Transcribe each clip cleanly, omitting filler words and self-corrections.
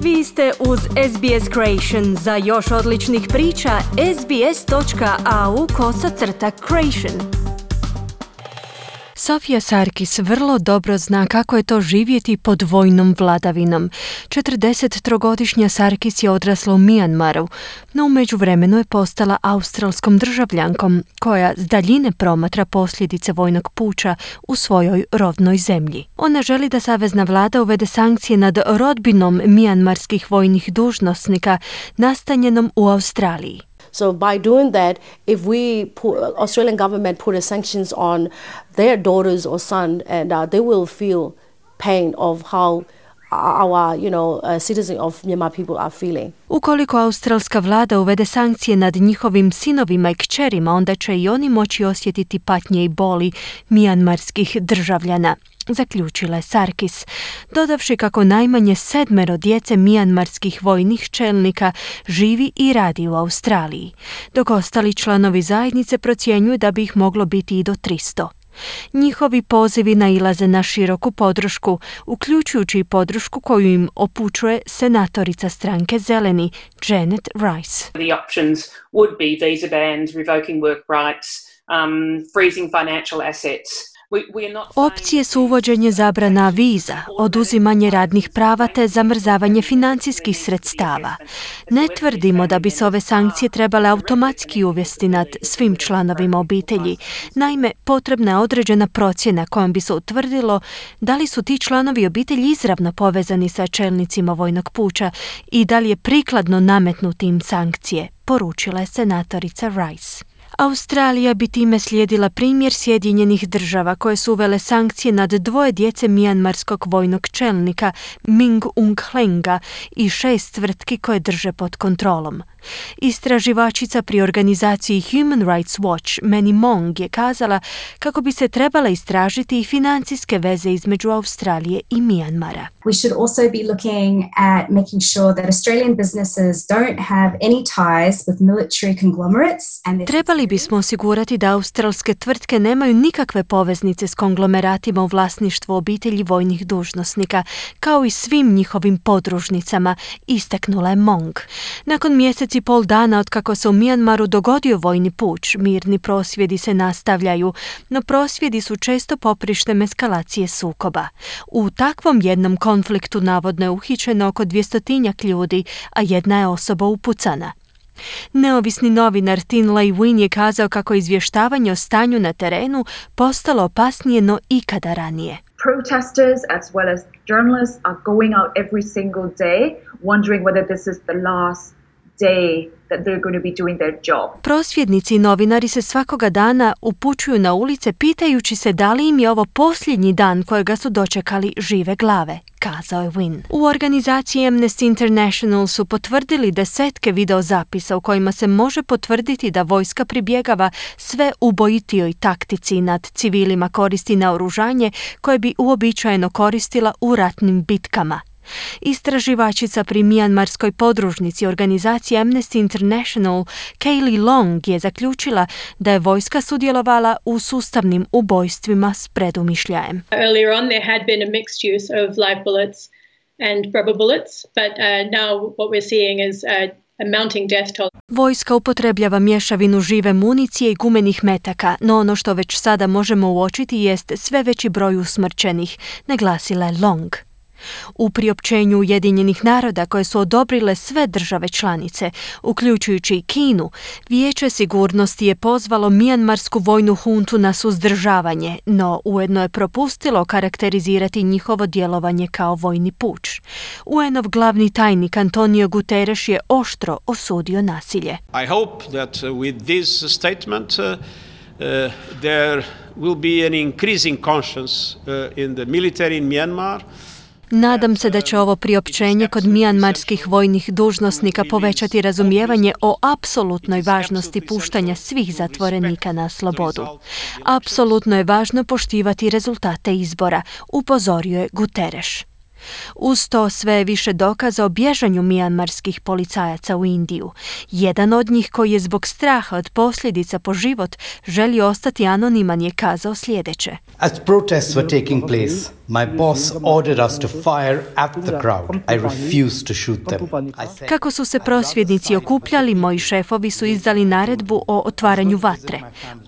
Vi ste uz SBS Creation. Za još odličnih priča, sbs.au/creation. Sofia Sarkis vrlo dobro zna kako je to živjeti pod vojnom vladavinom. 43-godišnja Sarkis je odrasla u Mijanmaru, no u međuvremenu je postala australskom državljankom koja s daljine promatra posljedice vojnog puča u svojoj rodnoj zemlji. Ona želi da savezna vlada uvede sankcije nad rodbinom mijanmarskih vojnih dužnosnika nastanjenom u Australiji. So by doing that, if Australian government put sanctions on their daughters or son, and they will feel pain of how our, citizens of Myanmar people are feeling. Ukoliko australska vlada uvede sankcije nad njihovim sinovima i kćerima, onda će i oni moći osjetiti patnje i boli mijanmarskih državljana, zaključila je Sarkis, dodavši kako najmanje 7 djece mijanmarskih vojnih čelnika živi i radi u Australiji, dok ostali članovi zajednice procjenjuju da bi ih moglo biti i do 300. Njihovi pozivi nailaze na široku podršku, uključujući i podršku koju im upućuje senatorica stranke Zeleni, Janet Rice. The options would be visa bans, revoking work rights, freezing financial assets. Opcije su uvođenje zabrana viza, oduzimanje radnih prava te zamrzavanje financijskih sredstava. Ne tvrdimo da bi se ove sankcije trebale automatski uvesti nad svim članovima obitelji. Naime, potrebna je određena procjena kojom bi se utvrdilo da li su ti članovi obitelji izravno povezani sa čelnicima vojnog puča i da li je prikladno nametnuti im sankcije, poručila je senatorica Rice. Australija bi time slijedila primjer Sjedinjenih država koje su uvele sankcije nad 2 djece mijanmarskog vojnog čelnika Min Aung Hlainga i 6 tvrtki koje drže pod kontrolom. Istraživačica pri organizaciji Human Rights Watch, Manny Mong, je kazala kako bi se trebala istražiti i financijske veze između Australije i Mijanmara. We should also be looking at making sure that Australian businesses don't have any ties with military conglomerates. Trebali bismo osigurati da australske tvrtke nemaju nikakve poveznice s konglomeratima u vlasništvu obitelji vojnih dužnosnika, kao i svim njihovim podružnicama, istaknula je Mong. Nakon mjeseci i pol dana od kako se u Mijanmaru dogodio vojni puč, mirni prosvjedi se nastavljaju, no prosvjedi su često poprištem eskalacije sukoba. U takvom jednom konfliktu navodno je uhićeno oko 200 ljudi, a jedna je osoba upucana. Neovisni novinar Tin Lei Win je kazao kako je izvještavanje o stanju na terenu postalo opasnije no ikada ranije. Protesters as well as journalists are going out every single day wondering whether this is the last day that they're going to be doing their job. Prosvjednici i novinari se svakoga dana upućuju na ulice pitajući se da li im je ovo posljednji dan kojega su dočekali žive glave, kazao je Win. U organizaciji Amnesty International su potvrdili 10 videozapisa u kojima se može potvrditi da vojska pribjegava sve ubojitijoj taktici i nad civilima koristi naoružanje koje bi uobičajeno koristila u ratnim bitkama. Istraživačica pri mijanmarskoj podružnici organizacije Amnesty International, Kaylee Long, je zaključila da je vojska sudjelovala u sustavnim ubojstvima s predumišljajem. Earlier on there had been a mixed use of live bullets and rubber bullets, but now what we're seeing is a mounting death toll. Vojska upotrebljava mješavinu žive municije i gumenih metaka, no ono što već sada možemo uočiti jest sve veći broj usmrćenih, naglasila je Long. U priopćenju Ujedinjenih naroda koje su odobrile sve države članice, uključujući i Kinu, Vijeće sigurnosti je pozvalo mijanmarsku vojnu huntu na suzdržavanje, no ujedno je propustilo karakterizirati njihovo djelovanje kao vojni puč. UN-ov glavni tajnik Antonio Guterres je oštro osudio nasilje. I hope that with this statement there will be an increasing conscience in the military in Myanmar. Nadam se da će ovo priopćenje kod mijanmarskih vojnih dužnosnika povećati razumijevanje o apsolutnoj važnosti puštanja svih zatvorenika na slobodu. Apsolutno je važno poštivati rezultate izbora, upozorio je Guterres. Uz to sve je više dokaza o bježanju mijanmarskih policajaca u Indiju. Jedan od njih, koji je zbog straha od posljedica po život želi ostati anoniman, je kazao sljedeće. As protests were taking place, my boss ordered us to fire at the crowd. I refused to shoot them. Kako su se prosvjednici okupljali, moji šefovi su izdali naredbu o otvaranju vatre.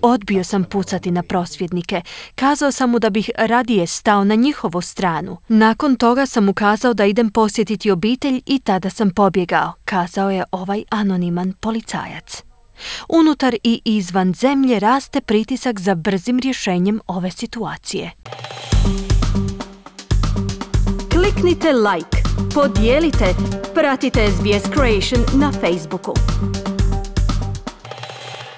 Odbio sam pucati na prosvjednike. Kazao sam mu da bih radije stao na njihovu stranu. Nakon toga sam mu kazao da idem posjetiti obitelj i tada sam pobjegao, kazao je ovaj anoniman policajac. Unutar i izvan zemlje raste pritisak za brzim rješenjem ove situacije. Kliknite like, podijelite, pratite SBS Creation na Facebooku.